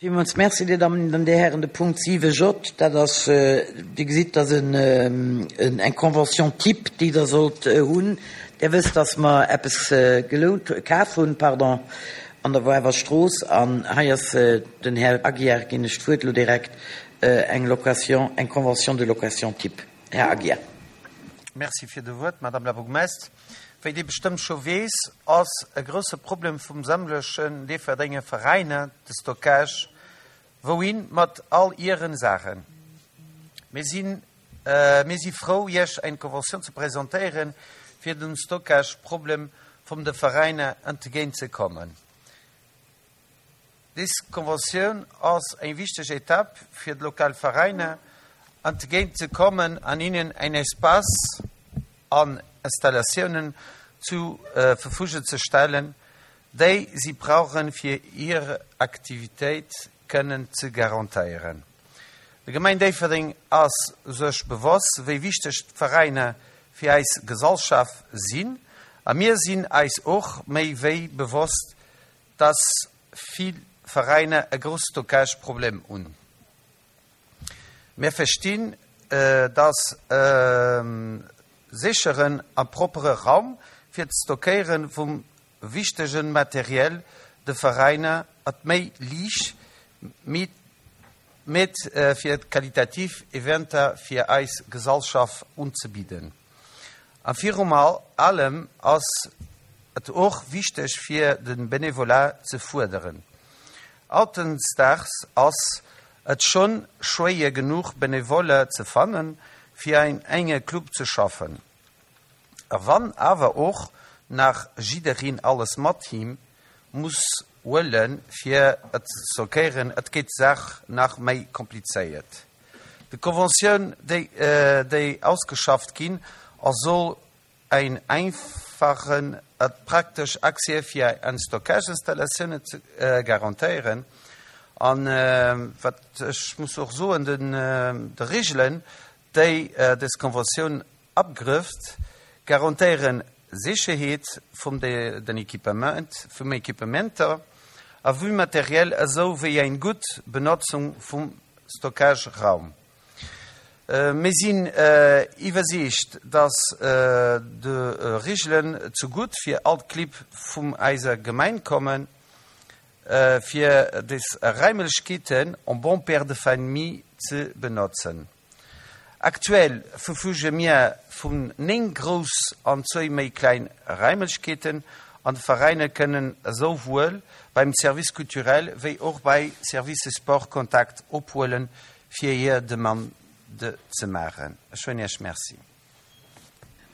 Villmools Merci, Dir Dammen an Dir Hären. De Punkt 7 J, dat ass, Dir gesitt, dat ass eng Convention type, déi Der sollt hunn. Dir wësst, dass mer eppes gelount, kaf hunn, pardon, an der Woarwer Strooss. An hei ass den Här Aguiar, ginn ech d'Wuert elo direkt, eng Location, eng Convention de location type. Här Aguiar. Merci fir de Wuert, Madame la Bourgmestre. Wéi Dir bestëmmt scho weess, ass e grousse Problem vum sämtlechen Déifferdenger Veräiner de Stockage. Wouhin mat all ieren Saachen? Mir sinn mir si frou Iech eng Conventioun ze presentéieren fir dem Stockage-Problem vum de Veräiner entgéint ze kommen. Des Konventioun ass eng wichteg Etapp fir d'lokal Veräiner entgéint ze kommen an hinnen en Espace an Installatiounen zu Verfügung ze stellen, déi si brauchen fir hir Aktivitéit kënnen ze garantéieren. De Gemeng Déifferdeng ass sech bewosst wéi wichteg d'Veräiner fir eis Gesallschaft sinn a mir sinn eis och méi wéi bewosst, dass vill Veräiner e grouss Stockage-Problem hunn. Mir verstinn, dass e sécheren a proppere Raum fir d'Stockéiere vum wichtege Materiel de Veräiner et méi liicht meet fir qualitativ Eventer fir eis Gesallschaft unzebidden. A virum allem ass et och wichteg fir de Benevolat ze fuerderen. Hautdesdaags ass et schonn schwéier genuch Benevoller ze fannen fir an enge Club ze schaffen. A wann awer och nach jiddereen alles mat him muss huelen fir et ze stockéieren, et gétt d'Saach nach méi komplizéiert. De Conventioun, déi ausgeschafft ginn ass, soll een einfachen a praktesch Accès fir an Stockageinstallatiounen ze garantéieren. An wat ech muss och soen, de Regelen, déi des Conventioun abgrëfft, garantéieren Sécherheet vum den Equipement, vum Equipementer a vum Materiel esou wéi eng gutt Benotzung vum Stockageraum. Mir sinn iwwersiicht, dass de Regelen zegutt fir all d'Clibb vum eiser Gemeng kommen, fir des Raimlechkeeten en bon père de famille ze benotzen. Aktuell verfüge mir vun 9 grouss an zwéi méi kleng Raimlechkeeten an de Veräiner kënnen esouwuel beim Service culturel wéi och bei Service Sport Kontakt ophuelen fir hir Demande ze maachen. Ech soen Iech Merci.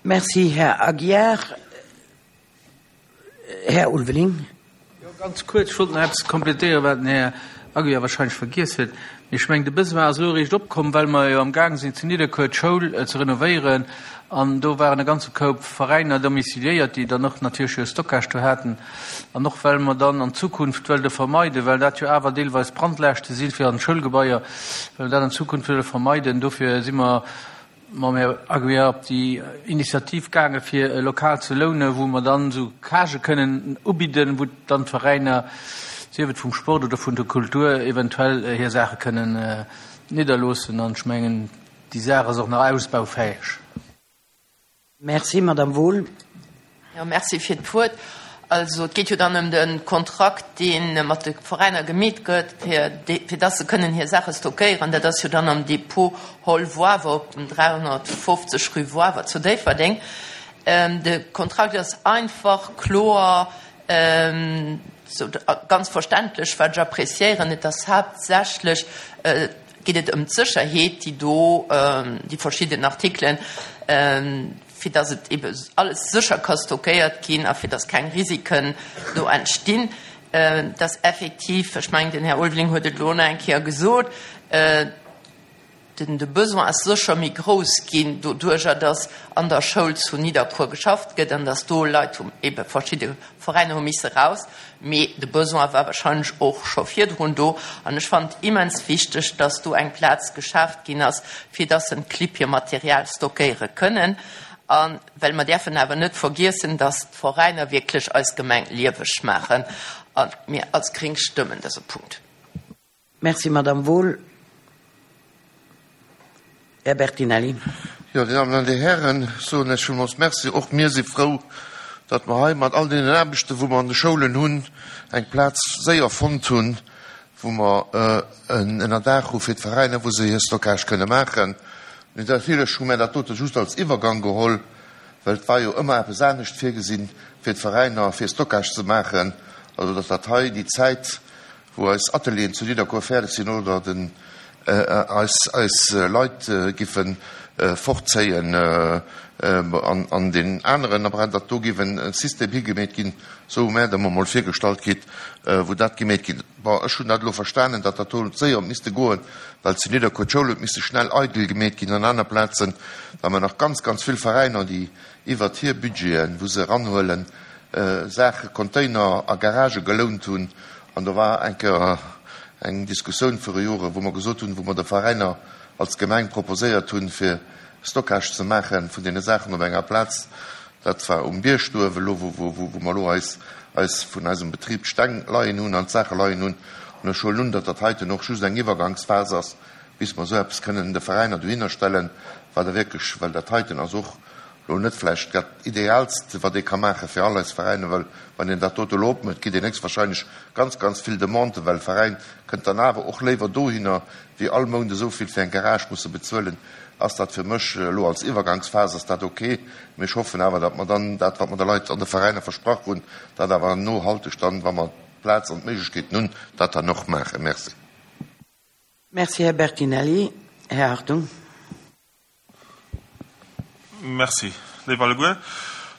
Merci, Här Aguiar. Här Ulveling. Jo, ganz kuerz, ech wollt nach eppes kompletéieren, wat den Här Aguiar wahrscheinlech vergiess huet. Mee ech mengen, de Besoin ass elo eréischt opkomm, well mer jo amgaang sinn, zu Nidderkuer d'Schoul ze renovéieren. An do waren e ganze Koup Veräiner domiciliéiert, déi dann och natierlech hir Stockage do haten. An och well mer dann an Zukunft wëlle vermeiden, well dat jo awer deelweis Brandlaaschte si fir an d'Schoulgebaier, well mer dat an Zukunft wëlle vermeiden, dofir si mer mam Här Aguiar op déi Initiativ gaange fir e Lokal ze lounen, wou mer dann esou Cagë kënnen ubidden, wou dann d'Veräiner, sief et vum Sport oder vun der Kultur, eventuell hir Saache kënnen nidderloossen. An ech mengen, déi Saach ass och nach ausbaufäeg. Merci, Madame Wohl. Jo, merci fir d'Wuert. Also, et geet jo dann ëm de Kontrakt, dee mat de Veräiner gemeet gëtt, fir, fir dass se kënnen hir Saache stockéieren. Dat ass jo dann am Depot Hall Woiwer op dem 350 rue Woiwer zu Déifferdeng. De Kontrakt ass einfach, kloer, sou ganz verständlech, wat ech appréciéieren. Et ass haaptsächlech, geet et ëm d'Sécherheet, déi do, déi verschidden Artikelen, fir dass et ebe alles sécher ka stockéiert ginn a fir dass keng Risiken do entstinn, dass effektiv, ech mengen, den Här Ulveling huet et elo nach eng Kéier gesot, den de Besoin ass sécher méi grouss ginn doduerjer, dass an der Schoul zu Nidderkuer geschafft gëtt an dass do Leit hu ebe verschidde Veräiner hu misse raus. Mee de Besoin war wahrscheinlech och scho virdrun do. An ech fannen et immens wichteg, dass do eng Plaz geschaaft ginn ass, fir dass en d'Clibb hir Material stockéiere kënnen. A well mer däerfen awer net vergiessen, dass d'Veräiner wierklech eis Gemeng lieweg maachen. A mir als Gréng stëmmen dëse Punkt. Merci, Madame Wohl. Här Bertinelli. Jo, Dir Dammen an Dir Hären, soen lech villmools Merci. Och mir si frou, datt mer hei mat all deenen Aarbechten, wou mer an de Schoulen hunn, eng Plaz séier fonnt hunn, wou mer en Ënnerdaach hu fir d'Veräiner, wou se hir Stockage kënne maachen. Mee natierlech hu mär dat dote just als Iwwergang geholl, well et war jo ëmmer eppes anescht virgesinn, fir d'Veräiner, fir Stockage ze maachen. Also datt dat hei déi Zäit, wou eis Atelieren zu Nidderkuer fäerdeg sinn oder den eis eis Leit giffe fortzéien an deen aneren Apparat, datt do géif e System higemeet ginn, esou hu mär et emol virgestallt kritt, wou dat gemeet ginn. Bon, ech hunn dat elo verstanen, datt dat do séier huet misste goen, well zu Nidderkuer d'Schoul huet misse schnell eidel gemeet ginn an aner Plazen, well mer nach ganz, ganz vill Veräiner, déi iwwert hir Budgeten, wou se eranhuelen, Saache, Container a Garagë gelount hunn. An do war eng Kéier eng Diskussioun viru Joren, wou mer gesot hunn, wou mer de Veräiner als Gemeng proposéiert hunn, fir Stockage ze maache vun deene Saachen op enger Plaz, dat war um Bierg do uewe elo, wou mer elo eis, eis vun eisem Betrib d'Steng leien hunn an d'Saache leien hunn. An ech huelen un, datt dat heiten och just eng Iwwergangsphas ass, bis mer esou eppes kënnen de Veräiner dohinner stellen, wat da wierklech, well dat heiten ass och Lo net vläicht dat Ideaalst, wat ee ka maache fir all eis Veräiner, well wann een dat dote elo opmécht, kritt een héchstwahrscheinlech ganz, ganz vill Demanden, well e Veräin kënnt dann awer och léiwer dohinner, wéi all Mount esou vill fir eng Garage musse bezuelen. Ass dat fir mech elo als Iwwergangsphas ass dat ok, mee ech hoffen awer, datt mer dann dat, wat mer de Leit an de Veräiner versprach hunn, dat awer nohalteg dann, wa mer d'Plaz an d'Méiglechkeeten hunn, dat dann och maachen. Merci. Merci, Här Bertinelli. Här Hartung. Merci, léif alleguer.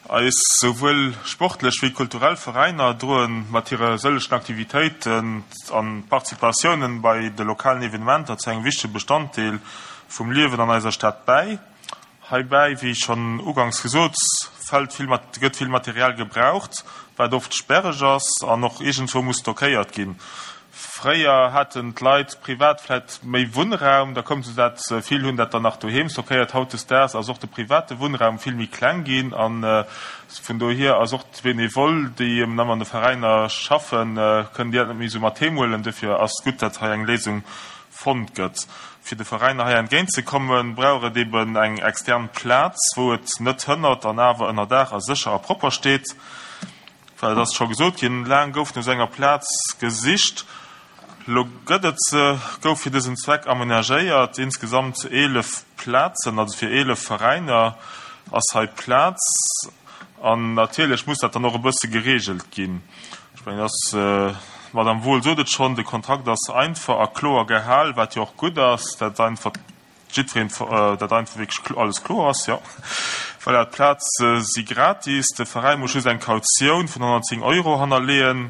Eis souwuel sportlech wéi kulturell Veräiner droen mat hire sëllegen Aktivitéiten an Participatiounen bei de lokalen Evenementer zu engem wichtege Bestanddeel vum Liewen an eiser Stad bäi. Heibäi, wéi schonn ugangs gesot, fält vill, gëtt vill Material gebraucht, wat oft sperreg ass an och iergendwou muss stockéiert ginn. Fréier haten d'Leit privat vläit méi Wunnraum, da koum se dat, vill hunn dat dann nach doheem stockéiert. Hautdesdaags ass och de private Wunnraum vill méi kleng ginn a vun dohier ass och d'Benevole, déi eben an de Veräiner schaffen, kënnen déi dat net méi esou mat heem huelen. Dofir ass gutt, datt hei eng Léisung fonnt gëtt. Fir de Veräiner hei entgéint ze kommen, brauch et eben eng extern Plaz, wou et net hënnert an awer ënner Daach a sécher a propper steet. Well et ass scho gesot ginn, laang gouf no esou enger Plaz gesicht. Elo gëtt et se, gouf fir dësen Zweck amenagéiert. Insgesamt 11 Plazen, also fir 11 Veräiner ass hei Plaz. An natierlech muss dat dann och e bësse gereegelt ginn. Ech mengen, et ass, d'Madame Wohl sot et schonn, de Kontrakt ass einfach a kloer gehal, wat jo och gutt ass, dat einfach Jiddwereen, dat einfach wierklech alles kloer ass, jo. Voilà, d'Plaze si gratis, de Veräi muss just eng Kautioun vun 110 Euro hannerleeën.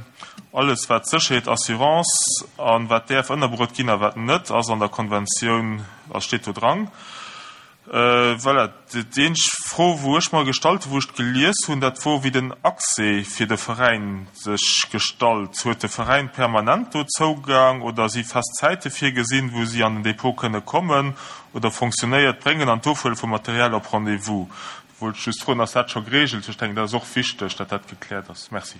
Alles wat Sécherheet, Assurance a wat däerf ënnerbruet ginn a wat net, ass an der Konventioun, ass steet do dran. Voilà, déi eenzeg Fro, wou ech mer gestallt hu wou ech d'gelies hunn, dat wor wéi den Accès fir de Veräin sech gestallt. Huet de Veräin permanent do Zougang oder si fest Zäite virgesinn, wou si an den Depot kënne kommen oder fonctionnéiert d'Bréngen an d'Ofhuele vum Material op Rendez-vous? Wollt ech just froen, ass dat scho geregelt? Ech denken, dat ass och wichteg, datt dat gekläert ass. Merci.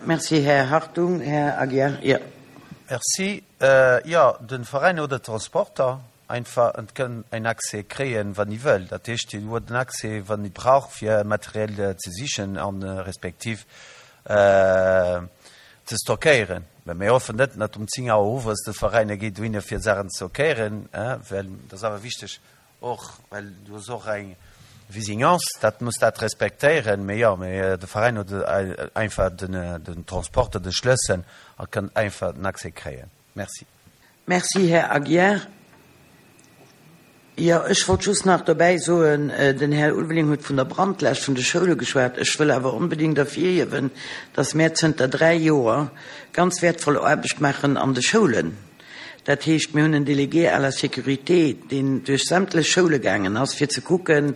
Merci, Här Hartung. Här Aguiar, jo. Merci. Jo, de Veräin oder d'Transporter Einfach en kënn en Accès kréien, wann e wëll. Dat heescht, hien huet en Accès, wann e brauch, fir Materiel ze sichen a respektiv ze stockéieren. Mä mir hoffen net, datt um 10 Auer owes de Veräin geet dohinner, fir Saachen ze stockéieren, well dat ass awer wichteg och, well du hues och eng Visinance, dat muss dat respektéieren. Mee jo, mee de Veräin huet einfach den Transporter de Schlëssel a kënn einfach den Accès kréien. Merci. Merci, Här Aguiar. Jo, ech wollt just nach dobäi soen, den Här Ulveling huet vun der Brandlaascht vun de Schoule geschwat. Ech wëll awer onbedéngt ervirhiewen, dass mär zënter dräi Joer ganz wäertvoll Aarbecht maachen an de Schoulen. Dat heescht, mir hunn en Délégué à la sécurité, deen duerch sämtlech Schoule gaangen ass, fir ze kucken,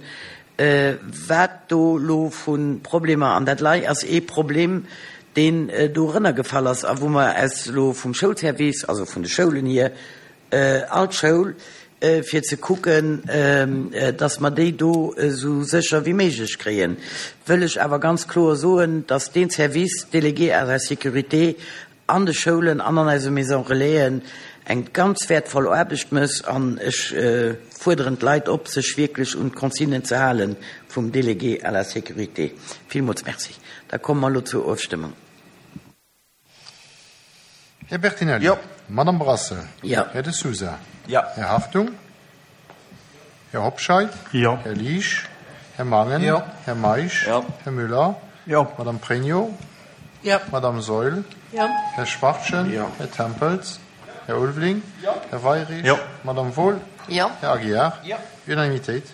Wat do elo vu Problemer, an dat lei ass ee Problem, deen dorënner gefall ass a wou mer aus elo vum Schoulservice, also vun de Schoulen hier, all d'Schoul, fir ze kucken, dass mer déi do esou sécher wéi méiglech kréien, wëll ech awer ganz kloer soen, dass dee Service délégué à la sécurité. an de Schoulen an an eise Maison Relaisen eng ganz wäertvoll Aarbecht mécht an ech fuerderen d'Leit op, sech wierklech un d'Consignen ze hale vum Délégué à la sécurité. Villmools Merci. Da komme mer elo zur Ofstëmmung. Här Bertinelli. Jo. Madame Brassel. Jo. Här De Sousa. Jo. Här Hartung. Här Hobscheit. Jo. Här Liesch. Här Mangen. Jo. Här Meisch. Jo. Här Müller. Jo. Madame Pregno. Jo. Madame Saeul. Jo. Här Schwachtgen. Jo. Här Tempels. Här Ulveling. Jo. Här Weyrich. Jo. Madame Wohl. Jo. Här Aguiar. Jo. Unanimitéit.